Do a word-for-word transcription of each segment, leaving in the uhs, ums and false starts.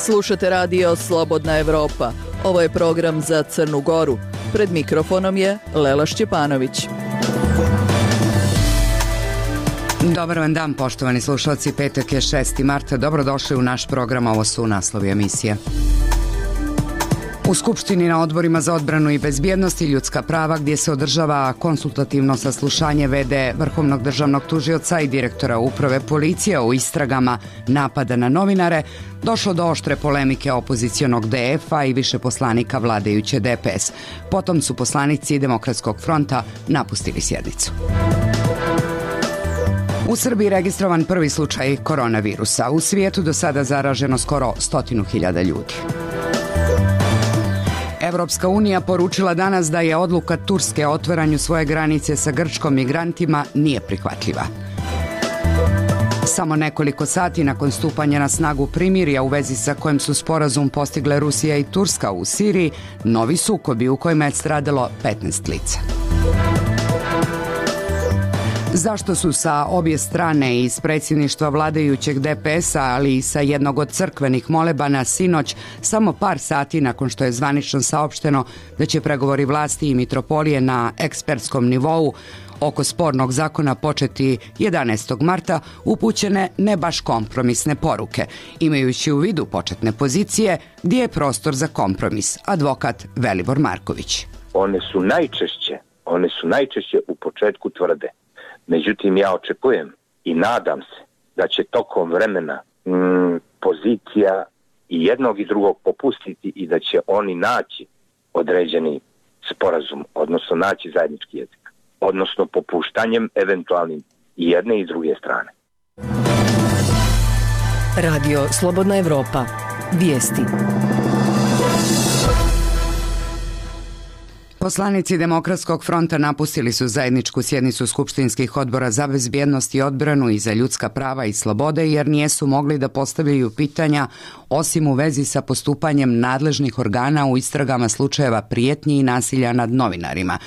Slušate radio Slobodna Evropa. Ovo je program za Crnu Goru. Pred mikrofonom je Lela Šćepanović. Dobar vam dan, poštovani slušalci. Petak je šesti marta. Dobrodošli u naš program. Ovo su naslovi emisije. U Skupštini na odborima za odbranu i bezbjednost i ljudska prava, gdje se održava konsultativno saslušanje ve de Vrhovnog državnog tužioca i direktora uprave policije o istragama napada na novinare, došlo do oštre polemike opozicionog de ef-a i više poslanika vladajuće de pe es. Potom su poslanici Demokratskog fronta napustili sjednicu. U Srbiji registrovan prvi slučaj koronavirusa. U svijetu do sada zaraženo skoro stotinu hiljada ljudi. Evropska unija poručila danas da je odluka Turske o otvaranju svoje granice sa Grčkom migrantima nije prihvatljiva. Samo nekoliko sati nakon stupanja na snagu primirja u vezi sa kojim su sporazum postigle Rusija i Turska u Siriji, novi sukobi u kojima je stradalo petnaest lica. Zašto su sa obje strane iz predsjedništva vladajućeg de pe es-a, ali i sa jednog od crkvenih molebana sinoć, samo par sati nakon što je zvanično saopšteno da će pregovori vlasti i mitropolije na ekspertskom nivou oko spornog zakona početi jedanaestog marta, upućene ne baš kompromisne poruke, imajući u vidu početne pozicije gdje je prostor za kompromis, advokat Velibor Marković. One su najčešće, one su najčešće u početku tvrde. Međutim, ja očekujem i nadam se da će tokom vremena mm, pozicija i jednog i drugog popustiti i da će oni naći određeni sporazum, odnosno naći zajednički jezik, odnosno popuštanjem eventualnim i jedne i druge strane. Radio Slobodna Evropa. Vijesti. Poslanici Demokratskog fronta napustili su zajedničku sjednicu skupštinskih odbora za bezbjednost i odbranu i za ljudska prava i slobode jer nijesu mogli da postavljaju pitanja osim u vezi sa postupanjem nadležnih organa u istragama slučajeva prijetnji i nasilja nad novinarima.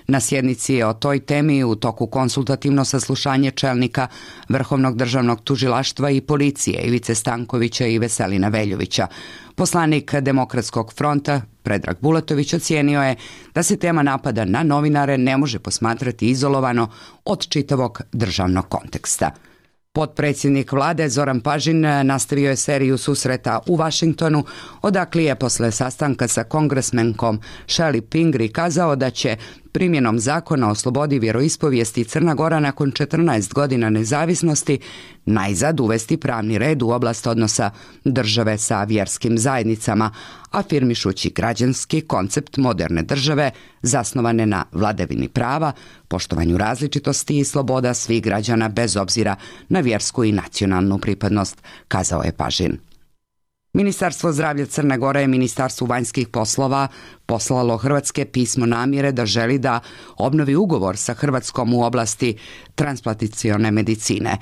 Na sjednici je o toj temi u toku konsultativno saslušanje čelnika Vrhovnog državnog tužilaštva i policije Ivice Stankovića i Veselina Veljovića. Poslanik Demokratskog fronta Predrag Bulatović ocijenio je da se tema napada na novinare ne može posmatrati izolovano od čitavog državnog konteksta. Potpredsjednik vlade Zoran Pažin nastavio je seriju susreta u Vašingtonu, odakle je posle sastanka sa kongresmenkom Shelley Pingree kazao da će primjenom zakona o slobodi vjeroispovijesti Crna Gora nakon četrnaest godina nezavisnosti najzad uvesti pravni red u oblast odnosa države sa vjerskim zajednicama, afirmišući građanski koncept moderne države zasnovane na vladavini prava, poštovanju različitosti i sloboda svih građana bez obzira na vjersku i nacionalnu pripadnost, kazao je Pažin. Ministarstvo zdravlja Crne Gore je Ministarstvu vanjskih poslova poslalo Hrvatske pismo namjere da želi da obnovi ugovor sa Hrvatskom u oblasti transplantacione medicine.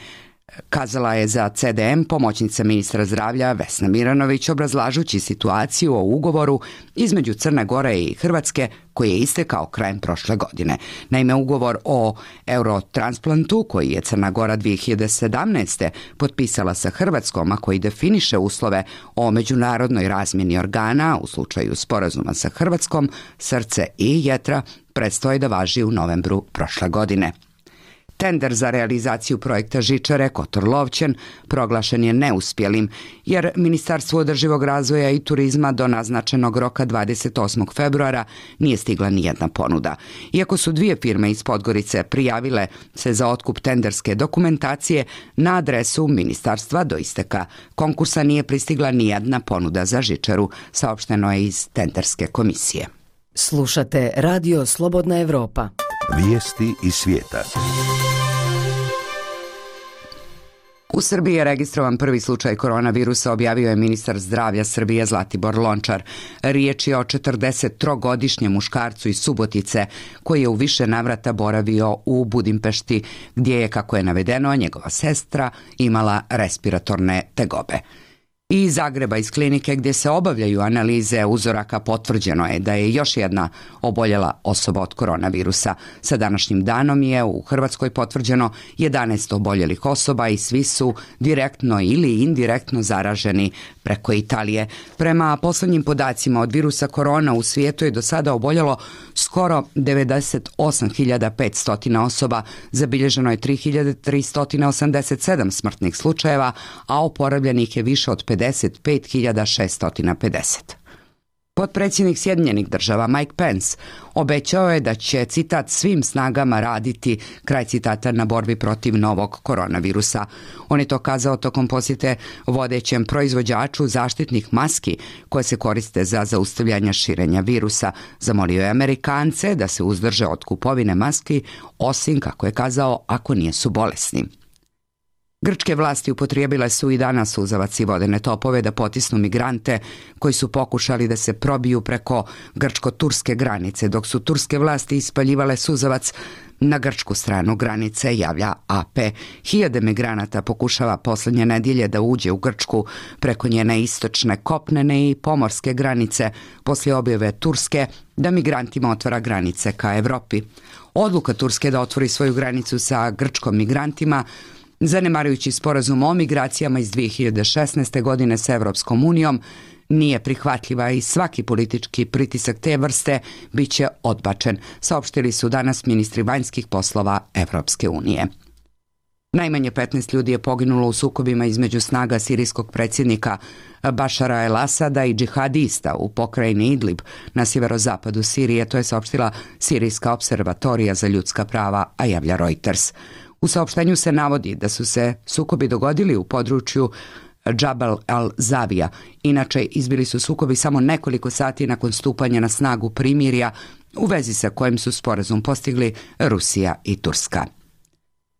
Kazala je za ce de em pomoćnica ministra zdravlja Vesna Miranović obrazlažući situaciju o ugovoru između Crne Gore i Hrvatske koji je istekao krajem prošle godine. Naime, ugovor o eurotransplantu koji je Crna Gora dvije hiljade sedamnaeste. potpisala sa Hrvatskom, a koji definiše uslove o međunarodnoj razmjeni organa u slučaju sporazuma sa Hrvatskom, srce i jetra, predstoji da važi u novembru prošle godine. Tender za realizaciju projekta žičare Kotor-Lovćen proglašen je neuspjelim, jer Ministarstvo održivog razvoja i turizma do naznačenog roka dvadeset osmog februara nije stigla ni jedna ponuda. Iako su dvije firme iz Podgorice prijavile se za otkup tenderske dokumentacije, na adresu ministarstva do isteka konkursa nije pristigla ni jedna ponuda za žičaru, saopšteno je iz tenderske komisije. Slušate Radio Slobodna Evropa. Vijesti iz svijeta. U Srbiji je registrovan prvi slučaj koronavirusa, objavio je ministar zdravlja Srbije Zlatibor Lončar. Riječ je o četrdesettrogodišnjem muškarcu iz Subotice koji je u više navrata boravio u Budimpešti, gdje je, kako je navedeno, njegova sestra imala respiratorne tegobe. I iz Zagreba, iz klinike gdje se obavljaju analize uzoraka, potvrđeno je da je još jedna oboljela osoba od koronavirusa. Sa današnjim danom je u Hrvatskoj potvrđeno jedanaest oboljelih osoba i svi su direktno ili indirektno zaraženi preko Italije. Prema poslednjim podacima od virusa korona u svijetu je do sada oboljelo skoro devedeset osam hiljada petsto osoba, zabilježeno je tri hiljade tristo osamdeset sedam smrtnih slučajeva, a oporavljenih je više od pedeset pet hiljada šesto pedeset. Potpredsjednik Sjedinjenih država Mike Pence obećao je da će, citat, svim snagama raditi, kraj citata, na borbi protiv novog koronavirusa. On je to kazao tokom posjete vodećem proizvođaču zaštitnih maski koje se koriste za zaustavljanje širenja virusa. Zamolio je Amerikance da se uzdrže od kupovine maski, osim, kako je kazao, ako nisu bolesni. Grčke vlasti upotrijebile su i danas suzavac i vodene topove da potisnu migrante koji su pokušali da se probiju preko grčko-turske granice, dok su turske vlasti ispaljivale suzavac na grčku stranu granice, javlja A P. Hiljade migranata pokušava posljednje nedjelje da uđe u Grčku preko njene istočne kopnene i pomorske granice poslije objave Turske da migrantima otvara granice ka Evropi. Odluka Turske da otvori svoju granicu sa grčkom migrantima, zanemarujući sporazum o migracijama iz dvije hiljade šesnaeste. godine sa Evropskom unijom, nije prihvatljiva i svaki politički pritisak te vrste bit će odbačen, saopštili su danas ministri vanjskih poslova Evropske unije. Najmanje petnaest ljudi je poginulo u sukobima između snaga sirijskog predsjednika Bašara el-Asada i džihadista u pokrajini Idlib na sjeverozapadu Sirije, to je saopštila Sirijska observatorija za ljudska prava, a javlja Reuters. U saopštenju se navodi da su se sukobi dogodili u području Džabal al-Zavija. Inače, izbili su sukobi samo nekoliko sati nakon stupanja na snagu primirja u vezi sa kojim su sporazum postigli Rusija i Turska.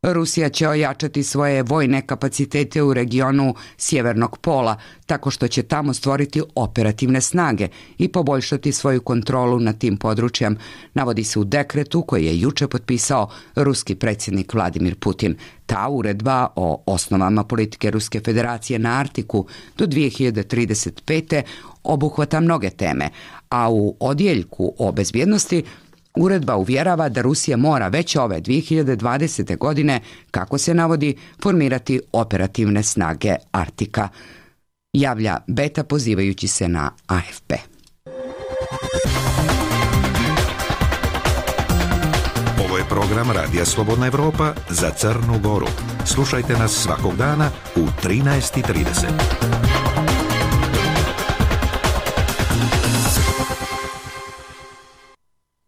Rusija će ojačati svoje vojne kapacitete u regionu Sjevernog pola, tako što će tamo stvoriti operativne snage i poboljšati svoju kontrolu nad tim područjem, navodi se u dekretu koji je juče potpisao ruski predsjednik Vladimir Putin. Ta uredba o osnovama politike Ruske federacije na Arktiku do dvije hiljade trideset pete. obuhvata mnoge teme, a u odjeljku o bezbjednosti uredba uvjerava da Rusija mora već ove dvije hiljade dvadesete. godine, kako se navodi, formirati operativne snage Arktika, javlja Beta pozivajući se na A F P. Ovo je program Radija Slobodna Evropa za Crnu Goru. Slušajte nas svakog dana u trinaest i trideset.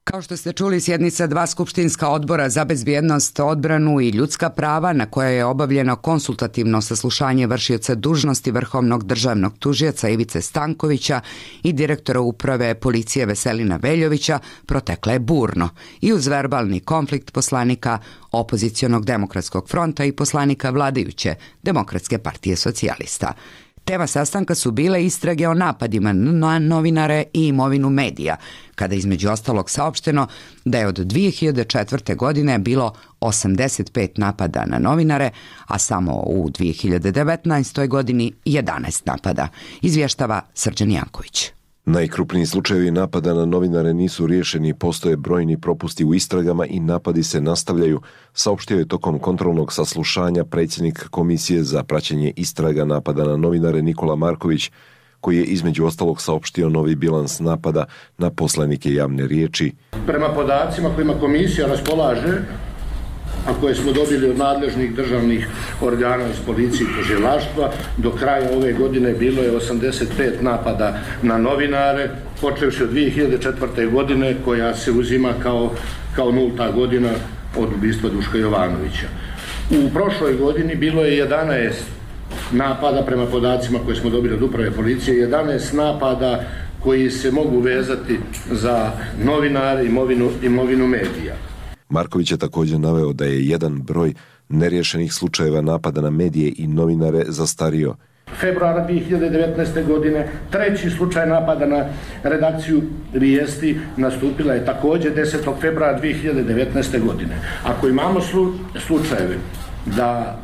Kao što ste čuli, sjednica dva skupštinska odbora za bezbjednost, odbranu i ljudska prava, na kojoj je obavljeno konsultativno saslušanje vršioca dužnosti vrhovnog državnog tužioca Ivice Stankovića i direktora uprave policije Veselina Veljovića, protekla je burno i uz verbalni konflikt poslanika opozicionog demokratskog fronta i poslanika vladajuće Demokratske partije socijalista. Tema sastanka su bile istrage o napadima na novinare i imovinu medija, kada između ostalog saopšteno da je od dvije hiljade četvrte. godine bilo osamdeset pet napada na novinare, a samo u dvije hiljade devetnaestoj. godini jedanaest napada, izvještava Srđan Janković. Najkrupniji slučajevi napada na novinare nisu riješeni, postoje brojni propusti u istragama i napadi se nastavljaju, saopštio je tokom kontrolnog saslušanja predsjednik Komisije za praćenje istraga napada na novinare Nikola Marković, koji je između ostalog saopštio novi bilans napada na poslanike javne riječi. Prema podacima kojima komisija raspolaže, a koje smo dobili od nadležnih državnih organa iz policije i tužilaštva, do kraja ove godine bilo je osamdeset pet napada na novinare, počevši od dvije hiljade četvrte. godine, koja se uzima kao, kao nulta godina od ubistva Duška Jovanovića. U prošloj godini bilo je jedanaest napada, prema podacima koje smo dobili od uprave policije, jedanaest napada koji se mogu vezati za novinare, imovinu, imovinu medija. Marković je također naveo da je jedan broj neriješenih slučajeva napada na medije i novinare zastario. Februara dvije hiljade devetnaeste. godine treći slučaj napada na redakciju Vijesti nastupila je također desetog februara dvije hiljade devetnaeste. godine. Ako imamo slu, slučajeve da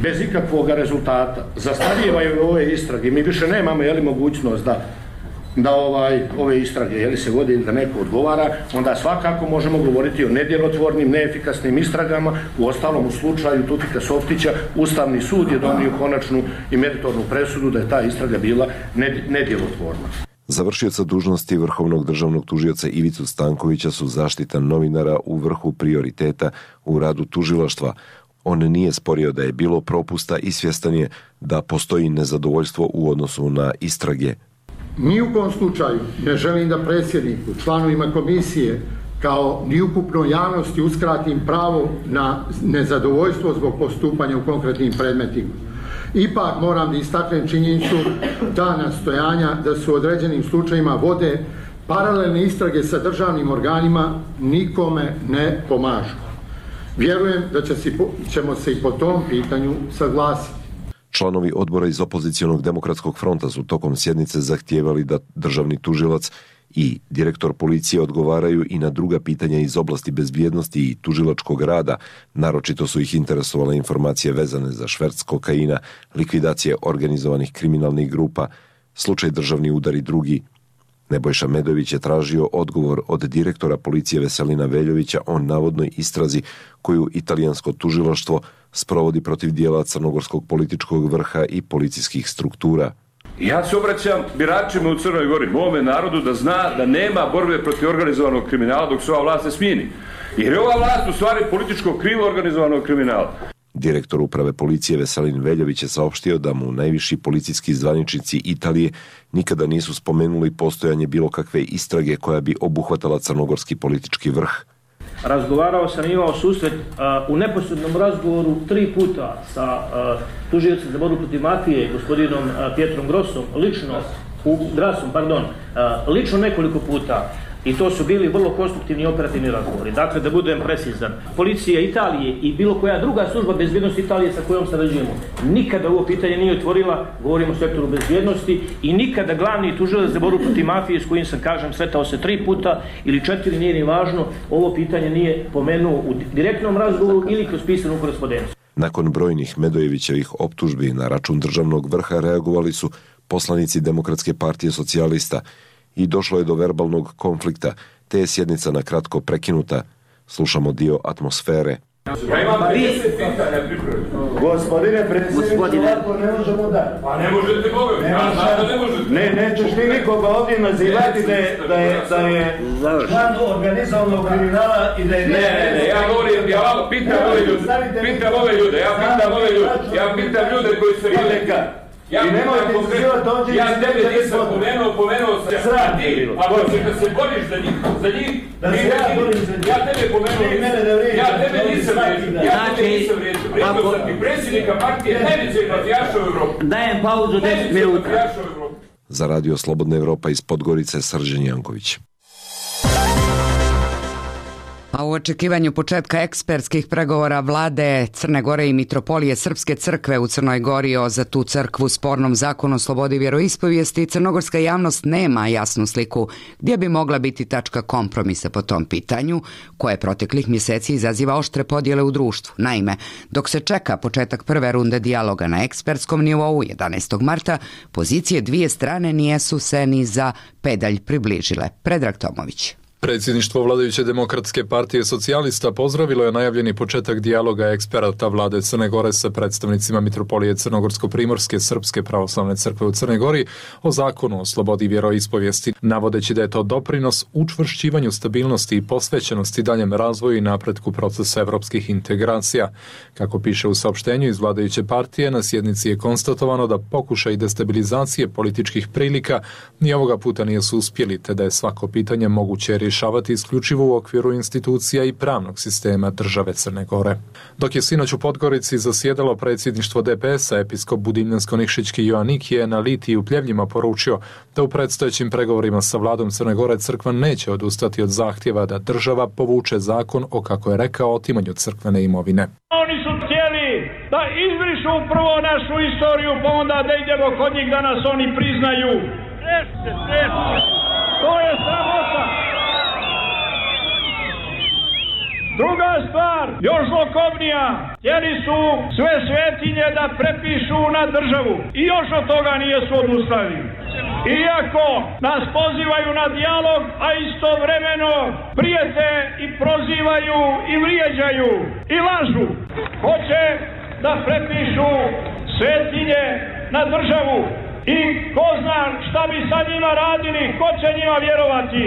bez ikakvog rezultata. Zastarijevaju ove istrage. Mi više nemamo jeli, mogućnost da da ovaj, ove istrage jeli, se vode ili da neko odgovara, onda svakako možemo govoriti o nedjelotvornim, neefikasnim istragama. U ostalom, u slučaju Tutika Softića, Ustavni sud je donio konačnu i meritornu presudu da je ta istraga bila nedjelotvorna. Za vršioca dužnosti vrhovnog državnog tužioca Ivicu Stankovića su zaštita novinara u vrhu prioriteta u radu tužilaštva. On nije sporio da je bilo propusta i svjestan je da postoji nezadovoljstvo u odnosu na istrage. Ni u kom slučaju ne želim da predsjedniku, članovima komisije, kao ni ukupnoj javnosti uskratim pravo na nezadovoljstvo zbog postupanja u konkretnim predmetima. Ipak moram da istaknem činjenicu ta nastojanja da su u određenim slučajima vode paralelne istrage sa državnim organima nikome ne pomažu. Vjerujem da će si, ćemo se i po tom pitanju saglasiti. Članovi odbora iz opozicionog demokratskog fronta su tokom sjednice zahtijevali da državni tužilac i direktor policije odgovaraju i na druga pitanja iz oblasti bezbjednosti i tužilačkog rada. Naročito su ih interesovale informacije vezane za šverc kokaina, likvidacije organizovanih kriminalnih grupa, slučaj državni udar i drugi. Nebojša Medović je tražio odgovor od direktora policije Veselina Veljovića o navodnoj istrazi koju italijansko tužilaštvo sprovodi protiv dijela crnogorskog političkog vrha i policijskih struktura. Ja se obraćam biračima u Crnoj Gori, mome narodu, da zna da nema borbe protiv organizovanog kriminala dok se ova vlast ne smijeni. Jer je ova vlast u stvari političko krilo organizovanog kriminala. Direktor uprave policije Veselin Veljović je saopštio da mu najviši policijski zvaničnici Italije nikada nisu spomenuli postojanje bilo kakve istrage koja bi obuhvatala crnogorski politički vrh. Razgovarao sam, imao susret uh, u neposrednom razgovoru tri puta sa uh, tužiocem za borbu protiv mafije, gospodinom uh, Pietrom Grossom, lično, u, Grasom, pardon, uh, lično nekoliko puta. I to su bili vrlo konstruktivni i operativni razgovori. Dakle, da budem precizan, policija Italije i bilo koja druga služba bezbjednosti Italije sa kojom sarađujemo nikada ovo pitanje nije otvorila, govorimo o sektoru bezbjednosti, i nikada glavni tužilac za borbu protiv mafije, s kojim sam, kažem, sretao se tri puta ili četiri, nije ni važno, ovo pitanje nije pomenuo u direktnom razgovoru ili kroz pisanu korespondenciju. Nakon brojnih Medojevićevih optužbi na račun državnog vrha reagovali su poslanici Demokratske partije socijalista i došlo je do verbalnog konflikta, te je sjednica na kratko prekinuta. Slušamo dio atmosfere. Ja imam pedeset pitanja pripremljeno. Gospodine predsjedniče, ovako ne možemo da. Pa ne možete Boga, ja znam da ne možete. Ne, nećeš ti nikoga ovdje nazivati da je, da je, da je član organizovanog kriminala i da je... Ne, ne, ne, ja govorim, ja vam pitam ove ljude, pitam ove ljude, ja pitam ove ljude, ja pitam ljude koji se vide. Ja, I nemojte izazivati ovdje... Ja tebe nisam pomenuo, pomenuo sam ja ti, ako ćeš da se boriš za njih, za njih, da se ja borim za njih. Ja tebe pomenuo, ja tebe nisam vrijeđio, ja tebe nisam vrijeđio, vrijeđio sam ti predsjednika partije najvećeg mafijaša u Evropi. Dajem pauzu deset minuta. Za radio Slobodna Evropa iz Podgorice, Srđan Janković. A u očekivanju početka ekspertskih pregovora vlade Crne Gore i Mitropolije Srpske crkve u Crnoj Gori o za tu crkvu spornom zakonu o slobodi vjeroispovijesti, crnogorska javnost nema jasnu sliku gdje bi mogla biti tačka kompromisa po tom pitanju, koje proteklih mjeseci izaziva oštre podjele u društvu. Naime, dok se čeka početak prve runde dijaloga na ekspertskom nivou jedanaestog marta, pozicije dvije strane nijesu se ni za pedalj približile. Predrag Tomović. Predsjedništvo vladajuće Demokratske partije socijalista pozdravilo je najavljeni početak dijaloga eksperata vlade Crne Gore sa predstavnicima Mitropolije Crnogorsko-primorske Srpske pravoslavne crkve u Crnoj Gori o zakonu o slobodi vjeroispovijesti, navodeći da je to doprinos učvršćivanju stabilnosti i posvećenosti daljem razvoju i napretku procesa evropskih integracija. Kako piše u saopštenju iz vladajuće partije, na sjednici je konstatovano da pokušaj destabilizacije političkih prilika ni ovoga puta nije su uspjeli, te da je svako pitanje moguće rješavati isključivo u okviru institucija i pravnog sistema države Crne Gore. Dok je sinoć u Podgorici zasjedalo predsjedništvo D P S-a, episkop Budimljansko-Nikšićki Joanik je na Litiji u Pljevljima poručio da u predstojećim pregovorima sa vladom Crne Gore crkva neće odustati od zahtjeva da država povuče zakon o, kako je rekao, otimanju crkvene imovine. Oni su htjeli da izbrišu prvo našu istoriju, pa onda da idemo kod njih da nas oni priznaju. Rešite, rešite. To je sramota. Druga stvar, još zlokobnija, Htjeli su sve svetinje da prepišu na državu i još od toga nijesu odustali. Iako nas pozivaju na dijalog, a istovremeno prijete i prozivaju i vrijeđaju i lažu. Hoće da prepišu svetinje na državu i ko zna šta bi sa njima radili, ko će njima vjerovati.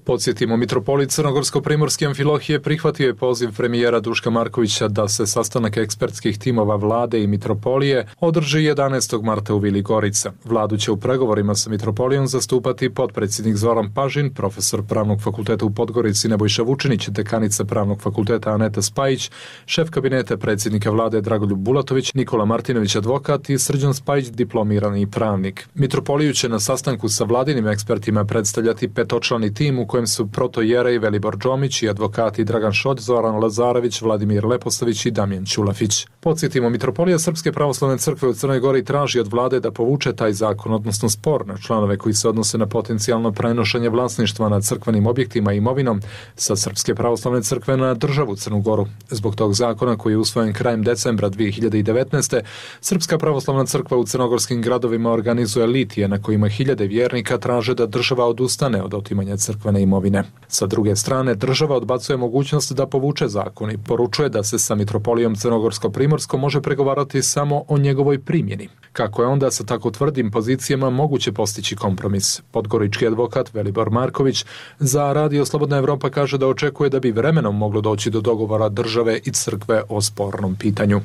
Podsjetimo, mitropolit Crnogorsko-primorski Amfilohije prihvatio je poziv premijera Duška Markovića da se sastanak ekspertskih timova vlade i mitropolije održi jedanaestog marta u Vili Gorica. Vladu će u pregovorima sa mitropolijom zastupati potpredsjednik Zoran Pažin, profesor Pravnog fakulteta u Podgorici Nebojša Vučinić, dekanica Pravnog fakulteta Aneta Spajić, šef kabineta predsjednika vlade Dragoljub Bulatović, Nikola Martinović advokat i Srđan Spajić diplomirani pravnik. Mitropoliju će na sastanku sa vladinim ekspertima predstavljati petočlani tim u kojem su protojerej Velibor Džomić i advokati Dragan Šolj, Zoran Lazarević, Vladimir Lepostavić i Damjan Ćulafić. Podsjetimo, mitropolija Srpske pravoslavne crkve u Crnoj Gori traži od vlade da povuče taj zakon, odnosno spor na članove koji se odnose na potencijalno prenošenje vlasništva nad crkvenim objektima i imovinom sa Srpske pravoslavne crkve na državu Crnu Goru. Zbog tog zakona, koji je usvojen krajem decembra dvije hiljade devetnaeste. Srpska pravoslavna crkva u crnogorskim gradovima organizuje litije na kojima hiljade vjernika traže da država odustane od otimanja crkvene imovine. Sa druge strane, država odbacuje mogućnost da povuče zakon i poručuje da se sa mitropolijom Crnogorsko-primorskom može pregovarati samo o njegovoj primjeni. Kako je onda sa tako tvrdim pozicijama moguće postići kompromis? Podgorički advokat Velibor Marković za Radio Slobodna Evropa kaže da očekuje da bi vremenom moglo doći do dogovora države i crkve o spornom pitanju.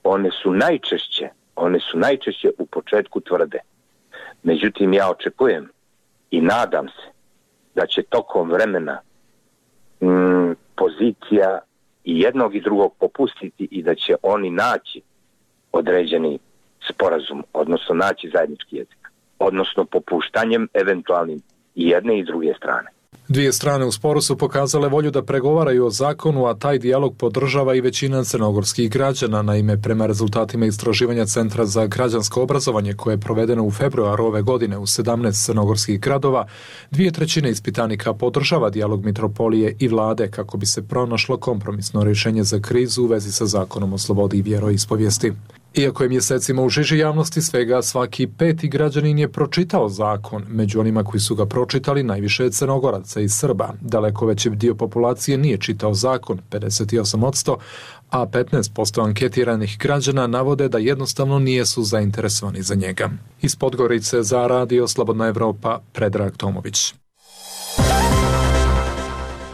One su najčešće, one su najčešće u početku tvrde. Međutim, ja očekujem i nadam se da će tokom vremena mm, pozicija i jednog i drugog popustiti i da će oni naći određeni sporazum, odnosno naći zajednički jezik, odnosno popuštanjem eventualnim i jedne i druge strane. Dvije strane u sporu su pokazale volju da pregovaraju o zakonu, a taj dijalog podržava i većina crnogorskih građana. Naime, prema rezultatima istraživanja Centra za građansko obrazovanje koje je provedeno u februaru ove godine u sedamnaest crnogorskih gradova, dvije trećine ispitanika podržava dijalog mitropolije i vlade kako bi se pronašlo kompromisno rješenje za krizu u vezi sa zakonom o slobodi i vjeroispovijesti. Iako je mjesecima u žiži javnosti, svega svaki peti građanin je pročitao zakon. Među onima koji su ga pročitali najviše je Crnogoraca i Srba. Daleko veći dio populacije nije čitao zakon, pedeset osam posto, a petnaest posto anketiranih građana navode da jednostavno nijesu zainteresovani za njega. Iz Podgorice za Radio Slobodna Evropa, Predrag Tomović.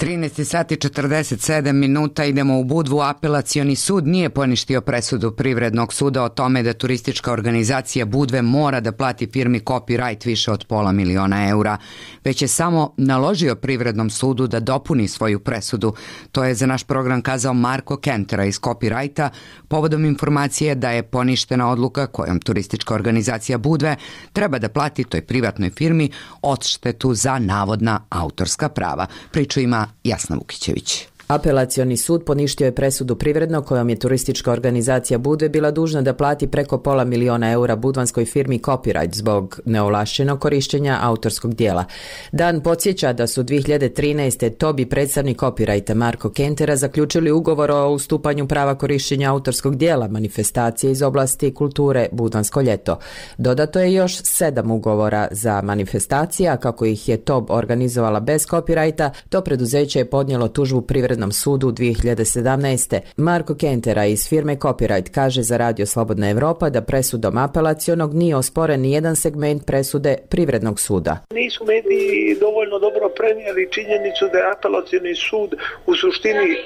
trinaest sati četrdeset sedam minuta, idemo u Budvu. Apelacioni sud nije poništio presudu Privrednog suda o tome da turistička organizacija Budve mora da plati firmi Copyright više od pola miliona eura, već je samo naložio Privrednom sudu da dopuni svoju presudu. To je za naš program kazao Marko Kentera iz Copyrighta povodom informacije da je poništena odluka kojom turistička organizacija Budve treba da plati toj privatnoj firmi odštetu za navodna autorska prava. Priču ima Jasna Vukićević. Apelacioni sud poništio je presudu Privrednog kojom je turistička organizacija Budve bila dužna da plati preko pola miliona eura budvanskoj firmi Copyright zbog neovlašćenog korištenja autorskog dijela. Dan podsjeća da su dvije hiljade trinaeste. Tobi, predstavnik Copyrighta Marko Kentera, zaključili ugovor o ustupanju prava korištenja autorskog dijela manifestacije iz oblasti kulture Budvansko ljeto. Dodato je još sedam ugovora za manifestacije, a kako ih je Tob organizovala bez Copyrighta, to preduzeće je podnijelo tužbu Privrednom sudu dvije hiljade sedamnaeste. Marko Kentera iz firme Copyright kaže za Radio Slobodna Evropa da presudom apelacionog nije osporen ni jedan segment presude Privrednog suda. Nisu mediji dovoljno dobro prenijeli činjenicu da je apelacioni sud u suštini e,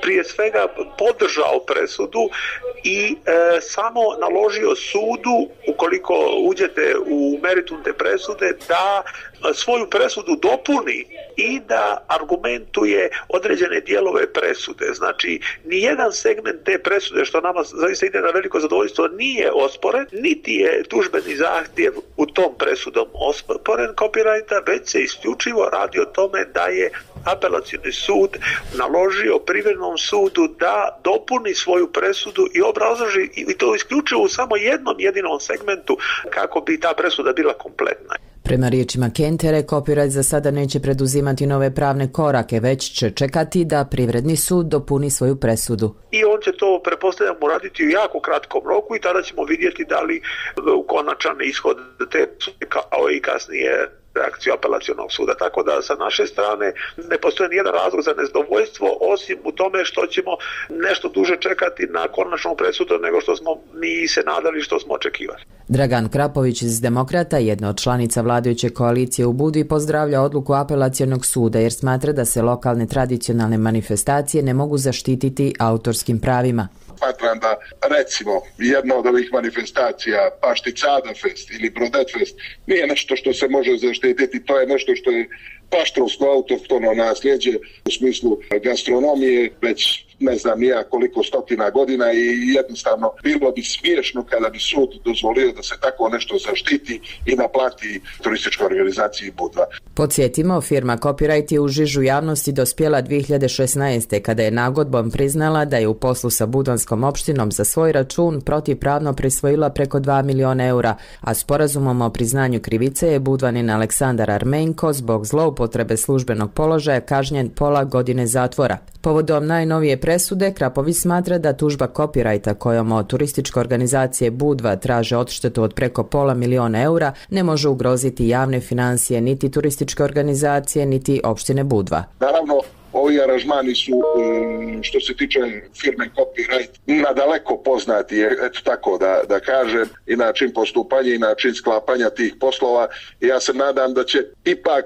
prije svega podržao presudu i e, samo naložio sudu, ukoliko uđete u meritum te presude, da svoju presudu dopuni i da argumentuje određene dijelove presude. Znači, nijedan segment te presude, što nama zaista ide na veliko zadovoljstvo, nije osporen, niti je tužbeni zahtjev u tom presudom osporen Copyrighta, već se isključivo radi o tome da je apelacioni sud naložio Privrednom sudu da dopuni svoju presudu i obrazloži, i to isključivo u samo jednom jedinom segmentu kako bi ta presuda bila kompletna. Prema riječima Kentere, Copyright za sada neće preduzimati nove pravne korake, već će čekati da privredni sud dopuni svoju presudu. I on će to, pretpostavljam, uraditi u jako kratkom roku i tada ćemo vidjeti da li u konačan ishod te kao i kasnije reakciju apelacionog suda. Tako da sa naše strane ne postoji nijedan razlog za nezadovoljstvo osim u tome što ćemo nešto duže čekati na konačnu presudu nego što smo mi se nadali, što smo očekivali. Dragan Krapović iz Demokrata, jedna od članica vladajuće koalicije u Budvi, pozdravlja odluku apelacionog suda jer smatra da se lokalne tradicionalne manifestacije ne mogu zaštititi autorskim pravima. Smatram da, recimo, jedna od ovih manifestacija, Pašticada Fest ili Brodet Fest, nije nešto što se može zaštititi, to je nešto što je paštrovsko autohtono nasljeđe u smislu gastronomije, već ne znam nija koliko stotina godina i jednostavno bilo bi smiješno kada bi sud dozvolio da se tako nešto zaštiti i naplati turističkoj organizaciji Budva. Podsjetimo, firma Copyright je u žižu javnosti dospjela dvije hiljade šesnaeste. kada je nagodbom priznala da je u poslu sa Budvanskom opštinom za svoj račun protivpravno prisvojila preko dva miliona eura, a sporazumom o priznanju krivice je Budvanin Aleksandar Armenko zbog zloupotrebe službenog položaja kažnjen pola godine zatvora. Povodom najnovije presude, Krapović smatra da tužba Copyrighta kojom od turističke organizacije Budva traže odštetu od preko pola miliona eura ne može ugroziti javne financije niti turističke organizacije niti opštine Budva. Naravno, ovi aranžmani su, što se tiče firme Copyright, nadaleko poznati, eto tako da, da kažem, i način postupanja i način sklapanja tih poslova. Ja se nadam da će ipak,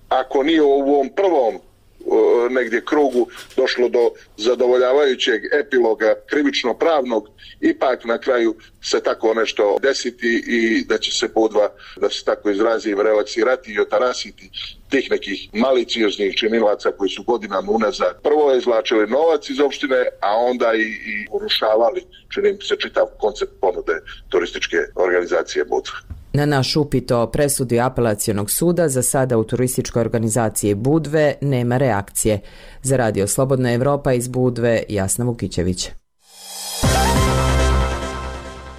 ako nije u ovom prvom negdje krugu došlo do zadovoljavajućeg epiloga krivično-pravnog, ipak na kraju se tako nešto desiti i da će se Budva, da se tako izrazim, relaksirati i otarasiti tih nekih malicioznih činilaca koji su godinama unazad prvo izvlačili novac iz opštine, a onda i, i urušavali, čini mi se, čitav koncept ponude turističke organizacije Budva. Na naš upit o presudi apelacionog suda za sada u turističkoj organizaciji Budve nema reakcije. Za Radio Slobodna Evropa iz Budve, Jasna Vukićević.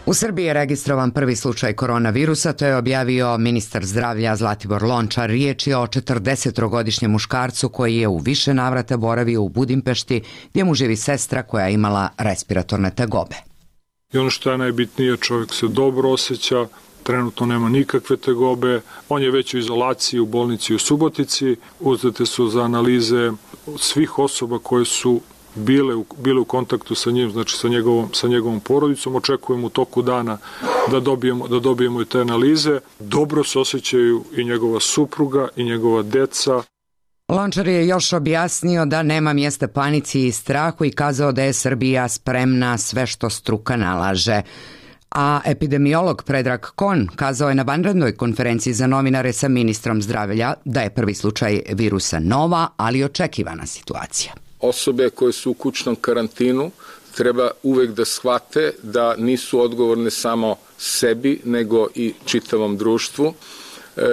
U Srbiji je registrovan prvi slučaj koronavirusa, to je objavio ministar zdravlja Zlatibor Lončar. Riječ je o četrdesetogodišnjem muškarcu koji je u više navrata boravio u Budimpešti, gdje mu živi sestra koja je imala respiratorne tegobe. I ono što je najbitnije, čovjek se dobro osjeća, trenutno nema nikakve tegobe, on je već u izolaciji u bolnici u Subotici, uzete su za analize svih osoba koje su bile u, bile u kontaktu sa njim, znači sa njegovom, sa njegovom porodicom. Očekujemo u toku dana da dobijemo, da dobijemo i te analize. Dobro se osjećaju i njegova supruga i njegova deca. Lončar je još objasnio da nema mjesta panici i strahu i kazao da je Srbija spremna sve što struka nalaže. A epidemiolog Predrag Kon kazao je na vanrednoj konferenciji za novinare sa ministrom zdravlja da je prvi slučaj virusa nova, ali očekivana situacija. Osobe koje su u kućnom karantinu treba uvek da shvate da nisu odgovorne samo sebi, nego i čitavom društvu.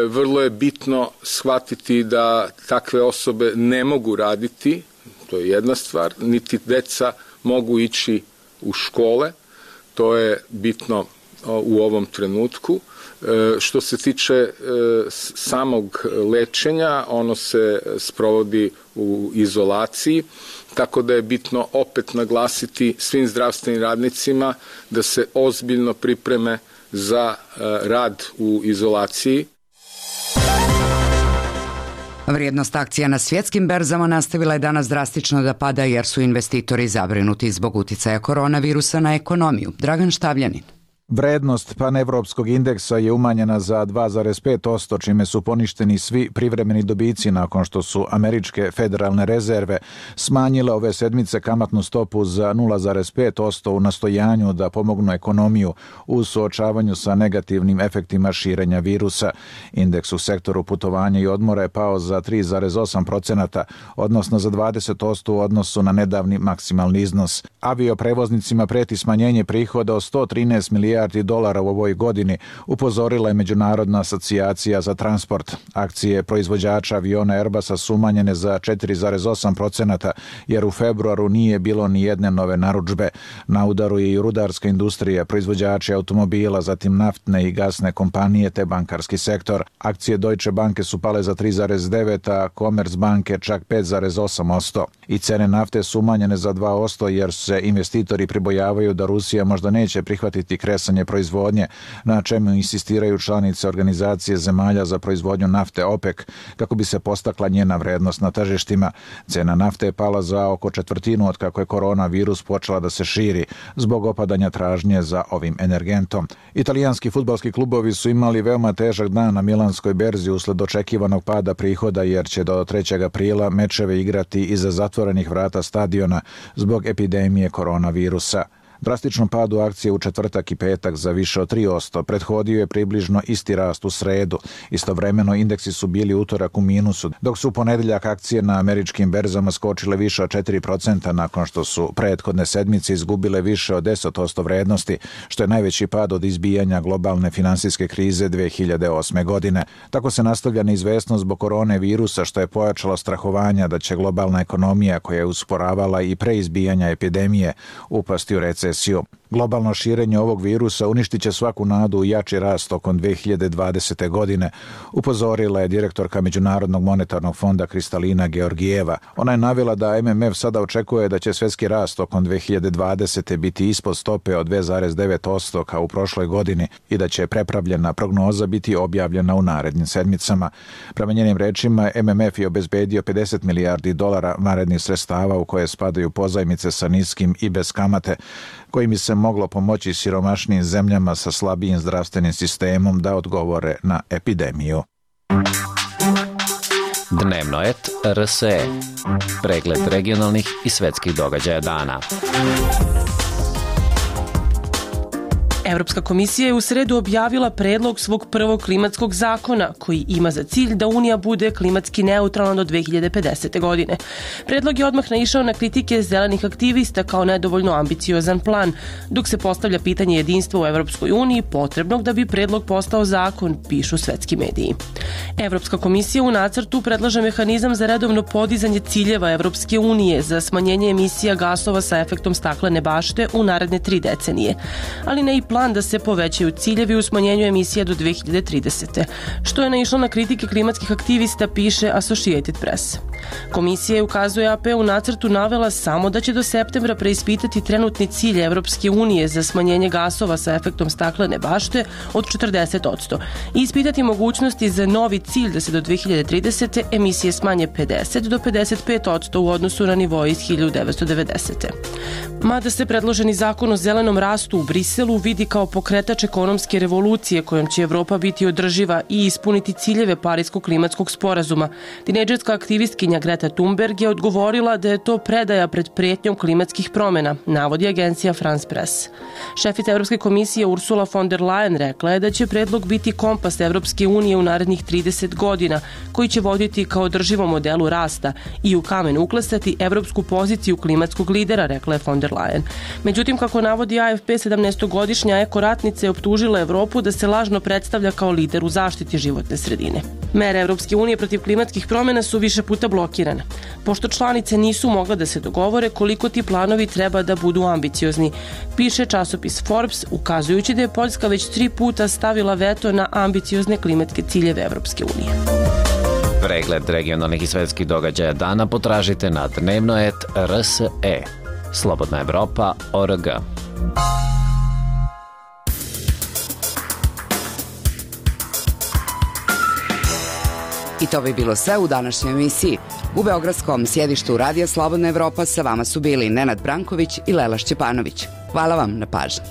Vrlo je bitno shvatiti da takve osobe ne mogu raditi, to je jedna stvar, niti deca mogu ići u škole. To je bitno u ovom trenutku. Što se tiče samog lečenja, ono se sprovodi u izolaciji, tako da je bitno opet naglasiti svim zdravstvenim radnicima da se ozbiljno pripreme za rad u izolaciji. Vrijednost akcija na svjetskim berzama nastavila je danas drastično da pada jer su investitori zabrinuti zbog uticaja koronavirusa na ekonomiju. Dragan Štavljanin. Vrednost panevropskog indeksa je umanjena za dva zarez pet posto, čime su poništeni svi privremeni dobici nakon što su američke federalne rezerve smanjile ove sedmice kamatnu stopu za nula zarez pet posto u nastojanju da pomognu ekonomiju u suočavanju sa negativnim efektima širenja virusa. Indeks u sektoru putovanja i odmora je pao za tri zarez osam posto, odnosno za dvadeset posto u odnosu na nedavni maksimalni iznos. Avioprevoznicima preti smanjenje prihoda od sto trinaest milijardi milijardi dolara u ovoj godini, upozorila je Međunarodna asocijacija za transport. Akcije proizvođača aviona Airbusa su umanjene za četiri zarez osam procenata, jer u februaru nije bilo ni jedne nove narudžbe. Na udaru je i rudarska industrija, proizvođači automobila, zatim naftne i gasne kompanije te bankarski sektor. Akcije Deutsche Banke su pale za tri zarez devet, a Commerzbanke čak pet zarez osam posto. I cene nafte su umanjene za dva posto jer se investitori pribojavaju da Rusija možda neće prihvatiti kresanje proizvodnje, na čemu insistiraju članice Organizacije zemalja za proizvodnju nafte OPEC, kako bi se postakla njena vrednost na tržištima. Cena nafte je pala za oko četvrtinu od kako je koronavirus počela da se širi zbog opadanja tražnje za ovim energentom. Italijanski fudbalski klubovi su imali veoma težak dan na milanskoj berzi usled očekivanog pada prihoda, jer će do trećeg aprila mečeve igrati iza zatvorenih vrata stadiona zbog epidemije koronavirusa. Drastičnom padu akcije u četvrtak i petak za više od tri posto prethodio je približno isti rast u sredu. Istovremeno indeksi su bili utorak u minusu, dok su u ponedeljak akcije na američkim berzama skočile više od četiri procenta nakon što su prethodne sedmice izgubile više od deset posto vrednosti, što je najveći pad od izbijanja globalne finansijske krize dve hiljade osme. godine. Tako se nastavlja neizvesnost zbog korone virusa, što je pojačalo strahovanja da će globalna ekonomija, koja je usporavala i pre izbijanja epidemije, upasti u recesiju. Globalno širenje ovog virusa uništit će svaku nadu u jači rast tokom dve hiljade dvadesete. godine, upozorila je direktorka Međunarodnog monetarnog fonda Kristalina Georgijeva. Ona je navela da M M F sada očekuje da će svjetski rast tokom dve hiljade dvadesete. biti ispod stope od dve zarez devet posto kao u prošloj godini i da će prepravljena prognoza biti objavljena u narednim sedmicama. Prema njenim rečima, M M F je obezbedio pedeset milijardi dolara vanrednih sredstava u koje spadaju pozajmice sa niskim i bez kamate, kojim bi se moglo pomoći siromašnim zemljama sa slabijim zdravstvenim sistemom da odgovore na epidemiju. Dnevno et R S E. Pregled regionalnih i svetskih događaja dana. Evropska komisija je u sredu objavila predlog svog prvog klimatskog zakona koji ima za cilj da Unija bude klimatski neutralna do dve hiljade pedesete. godine. Predlog je odmah naišao na kritike zelenih aktivista kao nedovoljno ambiciozan plan, dok se postavlja pitanje jedinstva u Evropskoj uniji potrebnog da bi predlog postao zakon, pišu svetski mediji. Evropska komisija u nacrtu predlaže mehanizam za redovno podizanje ciljeva Evropske unije za smanjenje emisija gasova sa efektom staklene bašte u naredne tri decenije, ali ne i plan da se povećaju ciljevi u smanjenju emisija do dve hiljade tridesete. što je naišlo na kritike klimatskih aktivista, piše Associated Press. Komisija je, ukazuje A P, u nacrtu navela samo da će do septembra preispitati trenutni cilj Evropske unije za smanjenje gasova sa efektom staklene bašte od četrdeset posto i ispitati mogućnosti za novi cilj da se do dve hiljade tridesete. emisije smanje pedeset do pedeset pet posto u odnosu na nivo iz hiljadu devetsto devedesete. Mada se predloženi zakon o zelenom rastu u Briselu vidi kao pokretač ekonomske revolucije kojom će Evropa biti održiva i ispuniti ciljeve Pariskog klimatskog sporazuma, tinejdžerska aktivistkinja Greta Thunberg je odgovorila da je to predaja pred prijetnjom klimatskih promjena, navodi agencija France Press. Šefica Evropske komisije Ursula von der Leyen rekla je da će predlog biti kompas Evropske unije u narednih trideset godina, koji će voditi kao održivom modelu rasta i u kamen uklesati evropsku poziciju klimatskog lidera, rekla je von der Leyen. Međutim, kako navodi A F P, sedamnaestogodišnja ekoratnica je optužila Evropu da se lažno predstavlja kao lider u zaštiti životne sredine. Mere Evropske unije protiv klimatskih promjena su više puta blokirane, pošto članice nisu mogle da se dogovore koliko ti planovi treba da budu ambiciozni, piše časopis Forbes, ukazujući da je Poljska već tri puta stavila veto na ambiciozne klimatske ciljeve Evropske unije. Pregled regionalnih i svetskih događaja dana potražite na dnevno et R S E. Slobodna Evropa O R G. I to bi bilo sve u današnjoj emisiji. U beogradskom sjedištu Radija Slobodna Evropa sa vama su bili Nenad Branković i Lela Šćepanović. Hvala vam na pažnji.